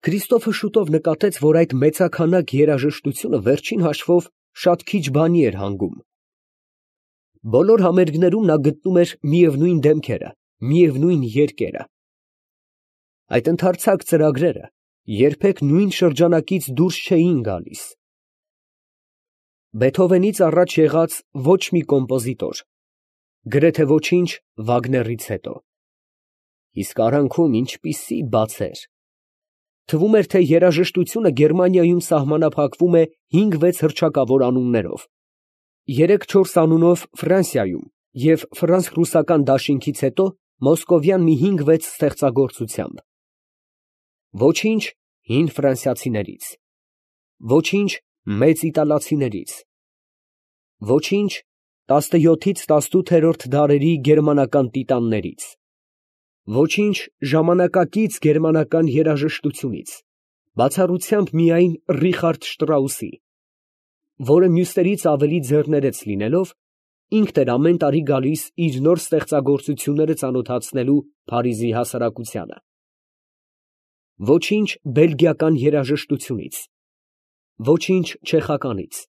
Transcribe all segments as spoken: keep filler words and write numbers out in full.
Քրիստոֆը շուտով նկատեց, որ այդ մեծաքանակ երաժշտությունը վերջին հաշվով շատ քիչ բանի էր հանգում։ Բոլոր համերգներում նա գտնում էր միևնույն դեմքերը, միևնույն երգերը։ Այդ ընդարձակ ծրագրերը երբեք նույն շրջանակից դուրս չէին գալիս։ Բեթհովենից առաջ եղած ոչ մի կոմպոզիտոր, գրեթե ոչինչ Վագներից հետո։ Իսկ արանքում ինչպիսի բաց էր։ Թվում էր, թե երաժշտությունը Գերմանիայում սահմանափակվում է հինգ֊վեց հռչակավոր անուններով, երեք֊չորս անունով Ֆրանսիայում և ֆրանս֊ռուսական դաշինքից հետո մոսկովյան մի հինգ֊վեց ստեղծագործությամբ։ Ոչինչ հին ֆրանսիացիներից, ոչինչ մեծ իտալացիներից, ոչինչ տասնյոթից տասնութերորդ դարերի գերմանական տիտաններից, ոչինչ ժամանակակից գերմանական երաժշտությունից, բացառությամբ միայն Ռիխարդ Շտրաուսի, որը մյուսներից ավելի ձեռներեց լինելով, ինքն էր ամեն տարի գալիս իր նոր ստեղծագործությունները ծանոթացնելու Փարիզի հասարակությանը, ոչինչ բելգիական երաժշտությունից, ոչինչ չեխականից,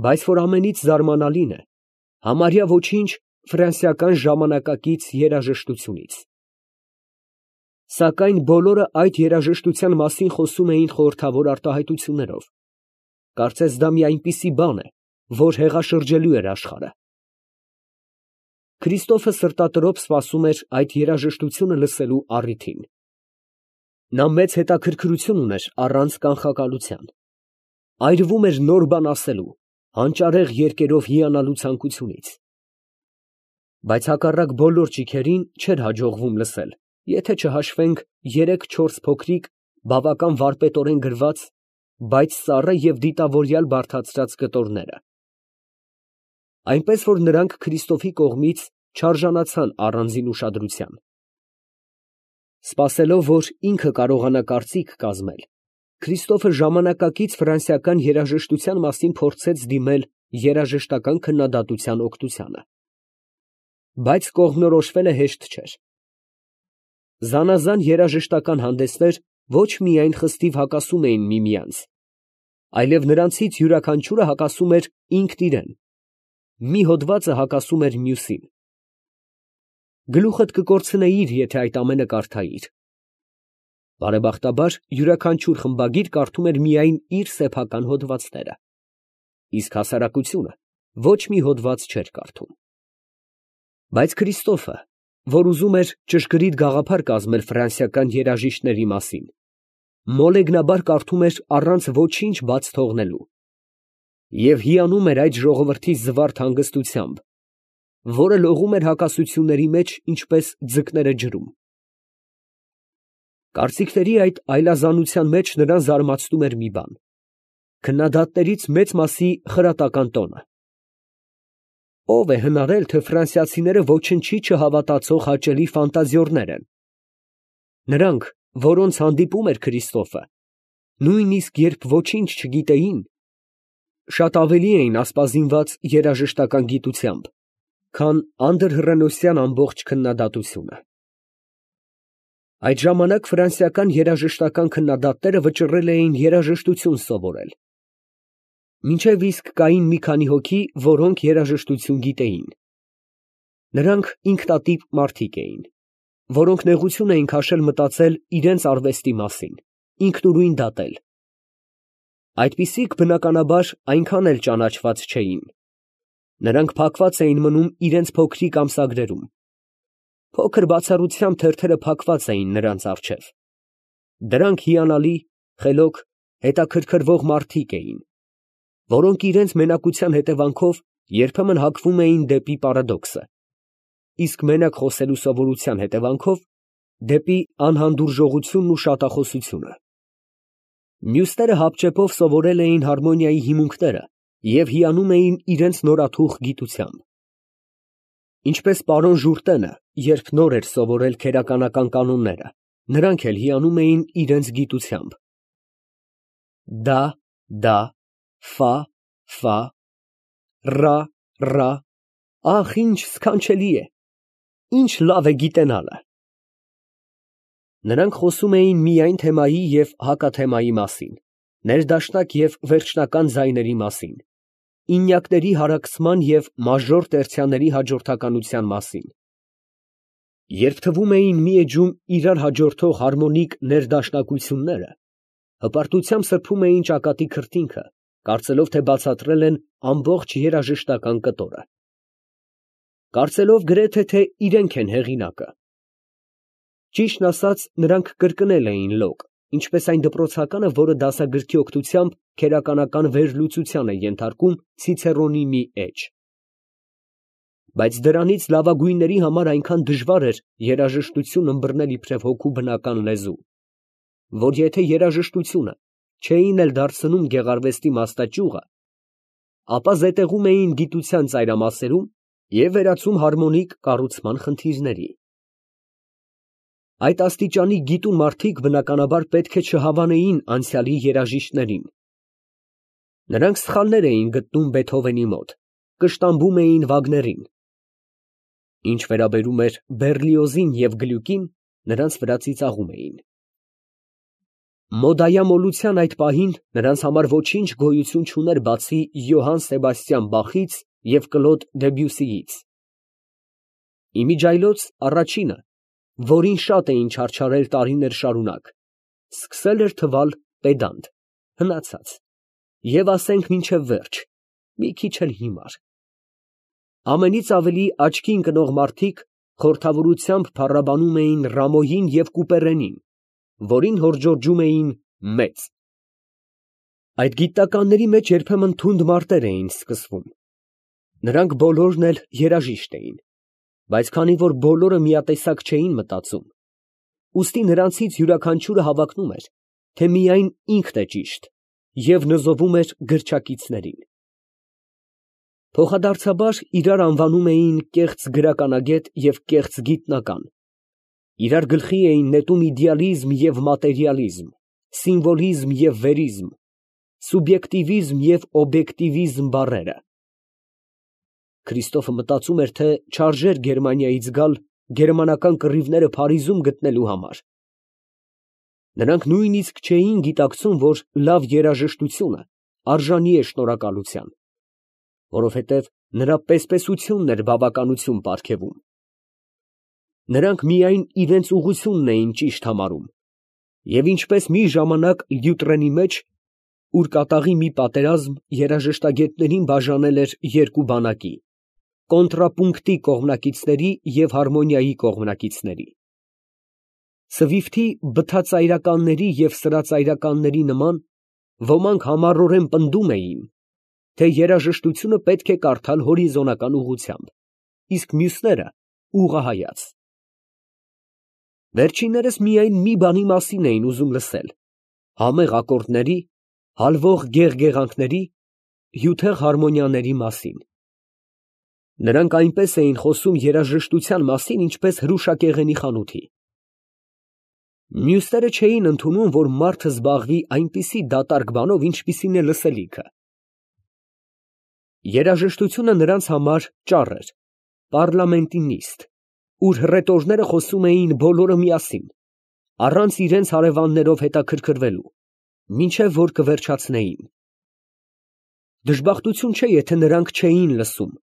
բայց որ ամենից զարմանալին է, համարյա ոչինչ ֆրանսիական ժամանակակից երաժշտությունից։ Սակայն բոլորը այդ երաժշտության մասին խոսում էին խորհրդավոր արտահայտություններով, կարծես դա մի այնպիսի բան է, որ հեղաշրջելու էր աշխարհը։ Քրիստոֆը սրտատրոփ սպասում էր այդ երաժշտությունը լսելու առիթին։ Նա մեծ հետաքրքրություն ուներ առանց կանխակալության, այրվում էր նոր բան ասելու, հանճարեղ երգերով հիանալու ցանկությունից։ Բայց հակառակ բոլոր ճիգերին չէր հաջողվում լսել, եթե չհաշվենք երեք֊չորս փոքրիկ, բավական վարպետորեն գրված, բայց սառը և դիտավորյալ բարդացրած կտորները։ Այնպես որ նրանք Քրիստոֆի կողմից չարժանացան առանձին ուշադրության։ Սպասելով, որ ինքը կարողանա կարծիք կազմել, Քրիստոֆը ժամանակակից ֆրանսիական երաժշտության մասին փորձեց դիմել երաժշտական քննադատության օգնությանը։ Բայց կողմնորոշվելը հեշտ չէր։ Զանազան երաժշտական հանդեսներ ոչ միայն խստիվ հակասում էին միմյանց, այլև նրանցից յուրաքանչյուրը հակասում էր ինքն իրան, մի հոդվածը հակասում էր մյուսին։ Գլուխդ կկորցնեիր, եթե այդ ամենը կարդայիր։ Բարեբախտաբար, յուրաքանչյուր խմբագիր կարդում էր միայն իր սեփական հոդվածները, իսկ հասարակությունը ոչ մի հոդված չէր կարդում։ Բայց Քրիստոֆը, որ ուզում էր ճշգրիտ գաղափար կազմել ֆրանսիական երաժիշտների մասին, մոլեգնաբար կարդում էր առանց ոչինչ բաց թողնելու և հիանում էր այդ ժողովրդի զվարթ հանգստությամբ, որը լողում էր հակասությունների մեջ, ինչպես ձկները ջրում։ Կարծիքների այդ այլազանության մեջ նրան զարմացնում էր մի բան. քննադատներից մեծ մասի խրատական տոնը։ Ո՞վ է հնարել, թե ֆրանսիացիները ոչնչի չհավատացող հաճելի ֆանտազիոռներ են։ Նրանք, որոնց հանդիպում էր Քրիստոֆը, նույնիսկ երբ ոչինչ չգիտեին, շատ ավելի էին ասպազինված երաժշտական գիտությամբ, քան անդրհռենոսյան ամբողջ քննադատությունը։ Այդ ժամանակ ֆրանսիական երաժշտական քննադատները վճռել էին երաժշտություն սովորել։ Մինչև իսկ կային մի քանի հոգի, որոնք երաժշտություն գիտեին։ Նրանք ինքնատիպ մարդիկ էին, որոնք նեղություն էին քաշել մտածել իրենց արվեստի մասին, ինքնուրույն դատել։ Այդպիսիք, բնականաբար, այնքան էլ ճանաչված չէին։ Նրանք փակված էին մնում իրենց փոքրիկ ամսագրերում։ Փոքր բացառությամբ թերթերը փակված էին նրանց առջև։ Դրանք հիանալի, խելոք, հետաքրքրվող մարդիկ էին, որոնք իրենց մենակության հետևանքով երբեմն հակվում էին դեպի պարադոքսը, իսկ մենակ խոսելու սովորության հետևանքով դեպի անհանդուրժողությունն ու շատախոսությունը։ Մյուսները հապճեպով սովորել էին հարմոնիայի հիմունքները և հիանում էին իրենց նորաթուխ գիտությամբ։ Ինչպես պարոն Ժուրտենը, երբ նոր էր սովորել քերականական կանոնները, նրանք էլ հիանում էին իրենց գիտությամբ։ Դա, դա, ֆա, ֆա, ռա, ռա, ախ, ինչ սքանչելի է, ինչ լավ է գիտենալը։ Նրանք խոսում էին միայն թեմայի և հակաթեմայի մասին, ներդաշնակ և վերջնական ձայների մասին, ինյակների հարակցման և մաժոր տերցիաների հաջորդականության մասին. երբ թվում էին մի էջում իրար հաջորդող հարմոնիկ ներդաշնակությունները, հպարտությամբ սրբում էին ճակատի քրտինքը, կարծելով, թե բացատրել են ամբողջ երաժշտական կտորը, կարծելով գրեթե, թե իրենք են հեղինակը։ Ճիշտն ասած, նրանք կրկնել էին Լոկ, ինչպես այն դպրոցականը, որը դասագրքի օգնությամբ քերականական վերլուծության է ենթարկում Ցիցերոնի մի էջ։ Բայց դրանից լավագույնների համար այնքան դժվար էր երաժշտություն ըմբռնել իբրև հոգու բնական լեզու, որ եթե երաժշտությունը չէին էլ դարձնում գեղարվեստի մաստաճյուղը, ապա զետեղում էին գիտության ծայրամասերում և վերածում հարմոնիկ կառուցման խնդիրների։ Այդ աստիճանի գիտուն մարդիկ բնականաբար պետք է չհավանեին անցյալի երաժիշտներին։ Նրանք սխալներ էին գտնում Բեթհովենի մոտ, կշտամբում էին Վագներին։ Ինչ վերաբերում էր Բեռլիոզին և Գլյուկին, նրանց վրա ծիծաղում էին։ Մոդայամոլության այդ պահին նրանց համար ոչինչ գոյություն չուներ բացի Յոհան Սեբաստիան Բախից և Կլոդ Դեբյուսիից։ Իմիջիայլոց առաջինը, որին շատ էին չարչարել տարիներ շարունակ, սկսել էր թվալ պեդանտ, հնացած և ասենք մինչև վերջ, մի քիչ էլ հիմար։ Ամենից ավելի աչքի ընկնող մարդիկ խորհրդավորությամբ փառաբանում էին Ռամոյին և Կուպերենին, որին հորդորջում էին մեծ։ Այդ գիտնականների մեջ երբեմն թունդ մարտեր էին սկսվում։ Նրանք բոլորն էլ երաժիշտ էին, բայց քանի որ բոլորը միատեսակ չէին մտածում, ուստի նրանցից յուրաքանչյուրը հավակնում էր, թե միայն ինքն է ճիշտ և նզովում էր գրչակիցներին։ Փոխադարձաբար իրար անվանում էին կեղծ գրականագետ և կեղծ գիտնական, իրար գլխի էին նետում իդեալիզմ և մատերիալիզմ, սիմվոլիզմ և վերիզմ, սուբյեկտիվիզմ և օբյեկտիվիզմ բառերը։ Քրիստոֆը մտածում էր, թե չարժեր Գերմանիայից գալ գերմանական կռիվները Փարիզում գտնելու համար։ Նրանք նույնիսկ չէին գիտակցում, որ լավ երաժշտությունը արժանի է շնորհակալության, որովհետև նրա պեսպեսությունն էր բավականություն պարգևում։ Նրանք միայն իրենց ուղղությունն էին ճիշտ համարում, և ինչպես մի ժամանակ Լյուտրենի մեջ, ուր կատաղի մի պատերազմ երաժշտագետներին բաժանել էր երկու բանակի՝ կոնտրապունկտի կողմնակիցների և հարմոնիայի կողմնակիցների։ Սվիֆթի բթածայրականների և սրածայրականների նման, ոմանք համառորեն պնդում էին, թե երաժշտությունը պետք է կարդալ հորիզոնական ուղղությամբ, իսկ մյուսները՝ ուղղահայաց։ Վերջիններս միայն մի բանի մասին էին ուզում լսել՝ համեղ ակորդների, հալվող գեղգեղանքների, հյութեղ հարմոնիաների մասին։ Նրանք այնպես էին խոսում երաժշտության մասին, ինչպես հրուշակեղենի խանութի։ Մյուսները չէին ընդունում, որ մարդը զբաղվի այնպիսի դատարկ բանով, ինչպիսին է լսելիքը։ Երաժշտությունը նրանց համար ճառ էր, պառլամենտի նիստ, ուր հռետորները խոսում էին բոլորը միասին, առանց իրենց հարևաններով հետաքրքրվելու, մինչև որ կվերջացնեին։ Դժբախտություն չէ, եթե նրանք չէին լսում,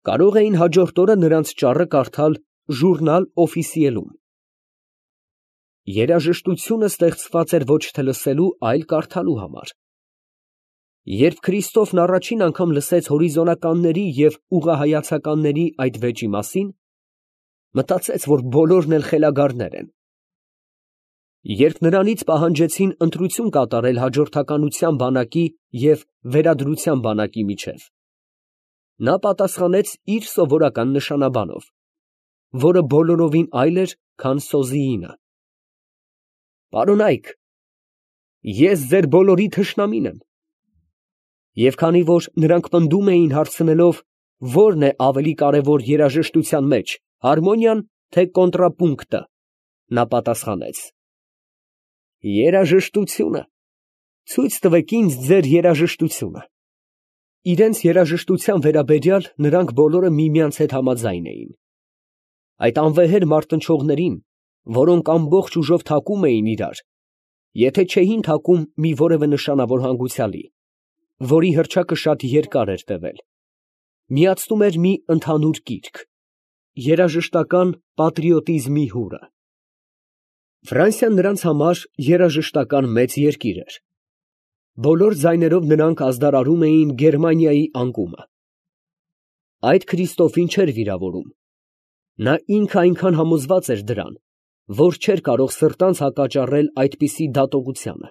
կարող էին հաջորդ օրը նրանց ճառը կարդալ Ժուրնալ Օֆիսիելում։ Երաժշտությունը ստեղծված էր ոչ թե լսելու, այլ կարդալու համար։ Երբ Քրիստոֆն առաջին անգամ լսեց հորիզոնականների և ուղղահայացականների այդ վեճի մասին, մտածեց, որ բոլորն էլ խելագարներ են։ Երբ նրանից պահանջեցին ընտրություն կատարել հաջորդականության բանակի և վերադրության բանակի միջև, նա պատասխանեց իր սովորական նշանաբանով, որը բոլորովին այլ էր, քան Սոզիինը. «Պարոնայք, ես ձեր բոլորի թշնամին եմ»։ Եվ քանի որ նրանք պնդում էին հարցնելով, ո՞րն է ավելի կարևոր երաժշտության մեջ, հարմոնիան, թե կոնտրապունկտը, նա պատասխանեց. «Երաժշտությունը, ցույց տվեք ինձ ձեր երաժշտությունը»։ Իրենց երաժշտության վերաբերյալ նրանք բոլորը միմյանց հետ համաձայն էին։ Այդ անվեհեր մարտնչողներին որոնք ամբողջ ուժով թակում էին իրար, եթե չէին թակում մի որևէ նշանավոր հանգուցյալի, որի հռչակը շատ երկար էր տևել, միացնում էր մի ընդհանուր կիրք, երաժշտական պատրիոտիզմի հուրը։ Ֆրանսիան նրանց համար երաժշտական մեծ երկիր էր։ Բոլոր ձայներով նրանք ազդարարում էին Գերմանիայի անկումը։ Այդ Քրիստոֆին չէր վիրավորում։ Նա ինքը այնքան համոզված էր դրան, որ չէր կարող սրտանց հակաճառել այդպիսի դատողությանը։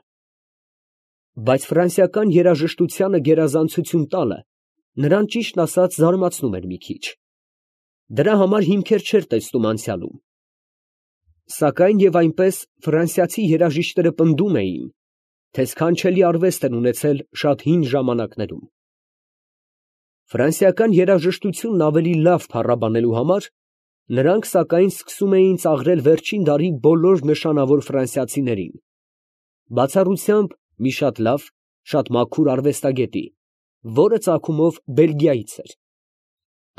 Բայց ֆրանսիական երաժշտությանը գերազանցություն տալը նրան ճիշտն ասած զարմացնում էր մի քիչ։ Դրա համար հիմքեր չէր տեսնում անցյալում։ Սակայն և այնպես ֆրանսիացի երաժիշտները պնդում էին, թե սքանչելի արվեստ են ունեցել շատ հին ժամանակներում։ Ֆրանսիական երաժշտությունն ավելի լավ փառաբանելու համար նրանք սակայն սկսում էին ծաղրել վերջին դարի բոլոր նշանավոր ֆրանսիացիներին, բացառությամբ մի շատ լավ, շատ մաքուր արվեստագետի, որը ծագումով Բելգիայից էր։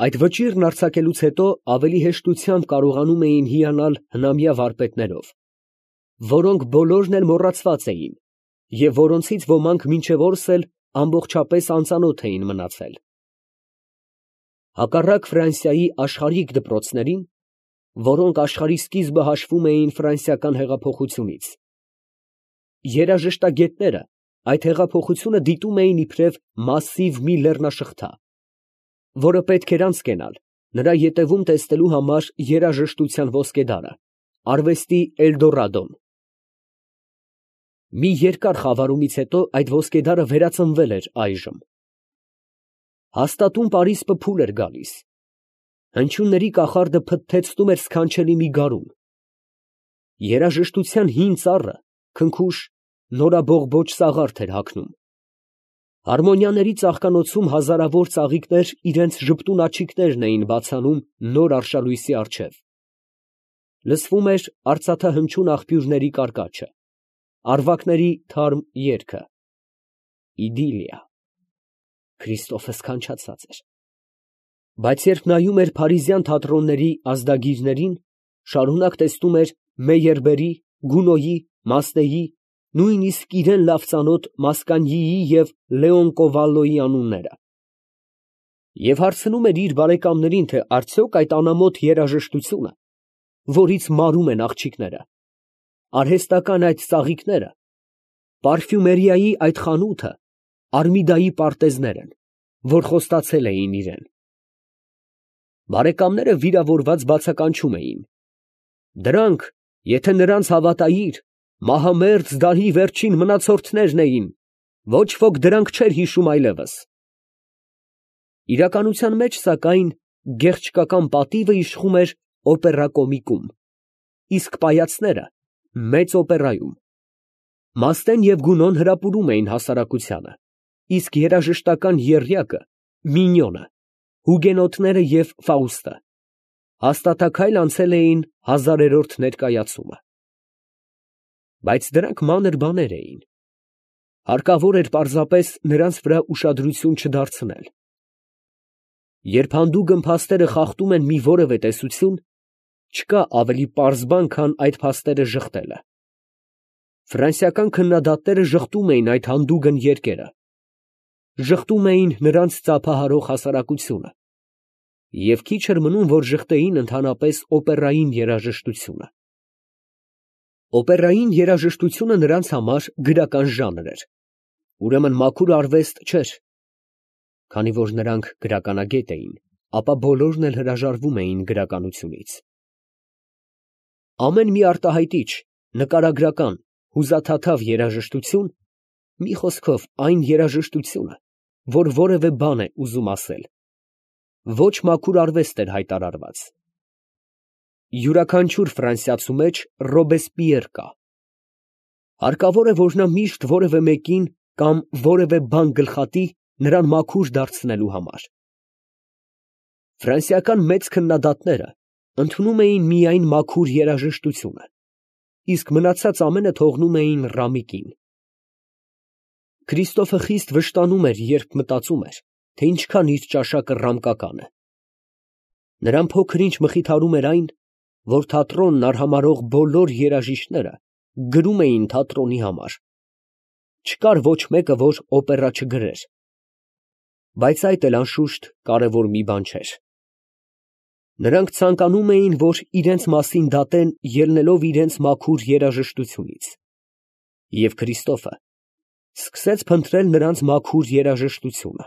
Այդ վճիռն արձակելուց հետո ավելի հեշտությամբ կարողանում էին հիանալ հնամյա վարպետներով, որոնք բոլորն էլ մոռացված էին և որոնցից ոմանք մինչև օրս էլ ամբողջապես անծանոթ էին մնացել։ Հակառակ Ֆրանսիայի աշխարհիկ դպրոցներին, որոնք աշխարհի սկիզբը հաշվում էին ֆրանսիական հեղափոխությունից, երաժշտագետները այդ հեղափոխությունը դիտում էին իբրև մասսիվ մի լեռնաշղթա, որը պետք էր անցկենալ նրա ետևում տեսնելու համար երաժշտության ոսկեդարը, արվեստի Էլդորադոն։ Մի երկար խավարումից հետո այդ ոսկեդարը վերածնվել էր այժմ։ Հաստատուն պարիսպը փուլ էր գալիս, հնչյունների կախարդը փթթեցնում էր սքանչելի մի գարուն, երաժշտության հին ծառը քնքուշ նորաբողբոջ սաղարթ էր հագնում, հարմոնիաների ծաղկանոցում հազարավոր ծաղիկներ իրենց ժպտուն աջիկներն էին բացանում նոր արշալույսի առջև, լսվում էր արծաթահնչյուն աղբյուրների կարկաչը, առվակների թարմ երգը, իդիլիա, Քրիստոֆը սքանչացած էր։ Բայց երբ նայում էր փարիզյան թատրոնների ազդագիրներին, շարունակ տեսնում էր Մեյերբերի, Գունոյի, Մասնեի, նույնիսկ իրան լավ ծանոթ Մասկանյիի և Լեոնկովալոյի անունները, և հարցնում էր իր բարեկամներին, թե արդյոք այդ անամոթ երաժշտությունը, որից մարում են աղջիկները, արհեստական այդ ծաղիկները, պարֆյումերիայի այդ խանութը Արմիդայի պարտեզներ են, որ խոստացել էին իրան։ Բարեկամները վիրավորված բացականչում էին. դրանք, եթե նրանց հավատայիր, մահամերձ դարի վերջին մնացորդներն էին, ոչ ոք դրանք չէր հիշում այլևս։ Իրականության մեջ, սակայն, գեղչկական պատիվը իշխում էր օպերա կոմիկում, իսկ պայացները մեծ օպերայում։ Մաստեն և Գունոն հրապուրում էին հասարակությանը, իսկ երաժշտական եռյակը Մինյոնը, Հուգենոտները և Ֆաուստը հաստատաքայլ անցել էին հազարերորդ ներկայացումը։ Բայց դրանք մանր բաներ էին, հարկավոր էր պարզապես նրանց վրա ուշադրություն չդարձնել։ Երբ հանդուգն փաստերը խախտում են մի որևէ տեսություն, չկա ավելի պարզ բան, քան այդ փաստերը ժխտելը։ Ֆրանսիական քննադատները ժխտում էին այդ հանդուգն երկերը, ժխտում էին նրանց ծափահարող հասարակությունը, և քիչ էր մնում, որ ժխտեին ընդհանրապես օպերային երաժշտությունը։ Օպերային երաժշտությունը նրանց համար գրական ժանր էր, ուրեմն մաքուր արվեստ չէր։ Քանի որ նրանք գրականագետ էին, ապա բոլորն էլ հրաժարվում էին գրականությունից։ Ամեն մի արտահայտիչ, նկարագրական, հուզաթաթավ երաժշտություն, մի խոսքով այն երաժշտությունը, որ որևէ բան է ուզում ասել, ոչ մաքուր արվեստ էր հայտարարված։ Յուրաքանչյուր ֆրանսիացու մեջ Ռոբեսպիեր կա։ Հարկավոր է, որ նա միշտ որևէ մեկին կամ որևէ բան գլխատի նրան մաքուր դարձնելու համար։ Ֆրանսիական մեծ քննադատները ընդունում էին միայն մաքուր երաժշտությունը, իսկ մնացած ամենը թողնում էին Ռամիկին։ Քրիստոֆը խիստ վշտանում էր, երբ մտածում էր, թե ինչքան իր ճաշակը ռամկական է։ Նրան փոքր ինչ մխիթարում էր այն, որ թատրոնն արհամարհող բոլոր երաժիշտները գրում էին թատրոնի համար. չկար ոչ մեկը, որ օպերա չգրեր, բայց այդ էլ անշուշտ կարևոր մի բան չէր. նրանք ցանկանում էին, որ իրենց մասին դատեն, ելնելով իրենց մաքուր երաժշտությունից, և Քրիստոֆը սկսեց փնտրել նրանց մաքուր երաժշտությունը։